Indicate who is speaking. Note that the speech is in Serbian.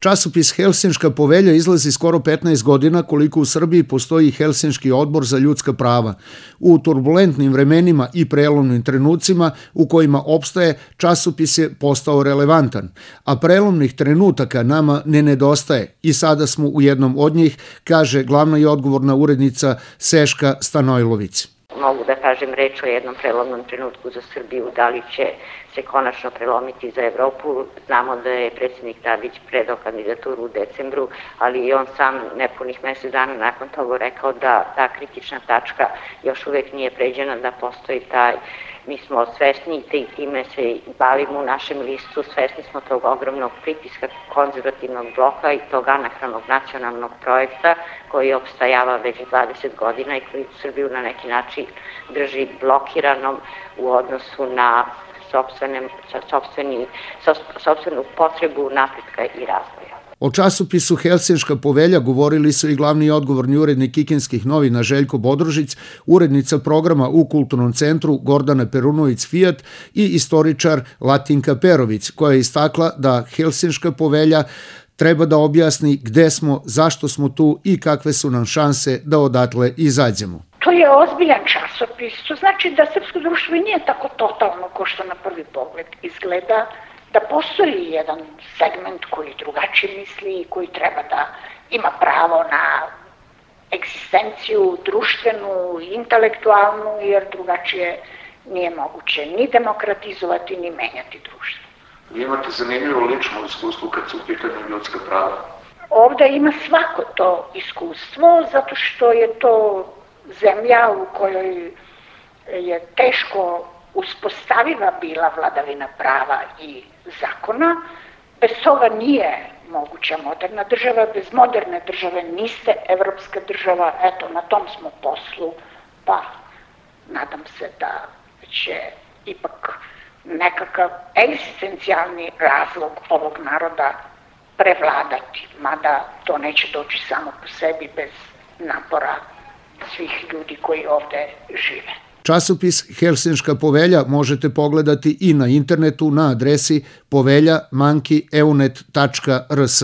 Speaker 1: Časopis Helsinška povelja izlazi skoro 15 godina koliko u Srbiji postoji Helsinški odbor za ljudska prava. U turbulentnim vremenima i prelomnim trenucima u kojima opstaje, časopis je postao relevantan, a prelomnih trenutaka nama ne nedostaje i sada smo u jednom od njih, kaže glavna i odgovorna urednica Seška Stanojlović.
Speaker 2: Mogu da kažem reč o jednom prelomnom trenutku za Srbiju, da li će se konačno prelomiti za Evropu. Znamo da je predsjednik Tadić predao kandidaturu u decembru, ali i on sam nepunih mesec dana nakon toga rekao da ta kritična tačka još uvek nije pređena, da postoji taj. Mi smo svesni i time se bavimo u našem listu, svesni smo tog ogromnog pritiska konzervativnog bloka i tog anahronog nacionalnog projekta koji opstajava već 20 godina i koji Srbiju na neki način drži blokiranom u odnosu na sopstvenu potrebu napretka i razvoja.
Speaker 1: O časopisu Helsinška povelja govorili su i glavni i odgovorni urednik kikinskih novina Željko Bodrožić, urednica programa u Kulturnom centru Gordana Perunović-Fijat i istoričar Latinka Perović, koja je istakla da Helsinška povelja treba da objasni gde smo, zašto smo tu i kakve su nam šanse da odatle izađemo.
Speaker 3: To je ozbiljan časopis, to znači da srpsko društvo nije tako totalno ko što na prvi pogled izgleda, da postoji jedan segment koji drugačije misli i koji treba da ima pravo na egzistenciju društvenu, intelektualnu, jer drugačije nije moguće ni demokratizovati, ni menjati društvo.
Speaker 4: Vi imate zanimljivo lično iskustvo kad su u pitanju ljudska prava?
Speaker 3: Ovde ima svako to iskustvo, zato što je to zemlja u kojoj je teško uspostaviva bila vladavina prava i zakona. Bez toga nije moguća moderna država, bez moderne države niste evropska država, eto na tom smo poslu, pa nadam se da će ipak nekakav egzistencijalni razlog ovog naroda prevladati, mada to neće doći samo po sebi bez napora svih ljudi koji ovde žive.
Speaker 1: Časopis Helsinška povelja možete pogledati i na internetu na adresi povelja@eunet.rs.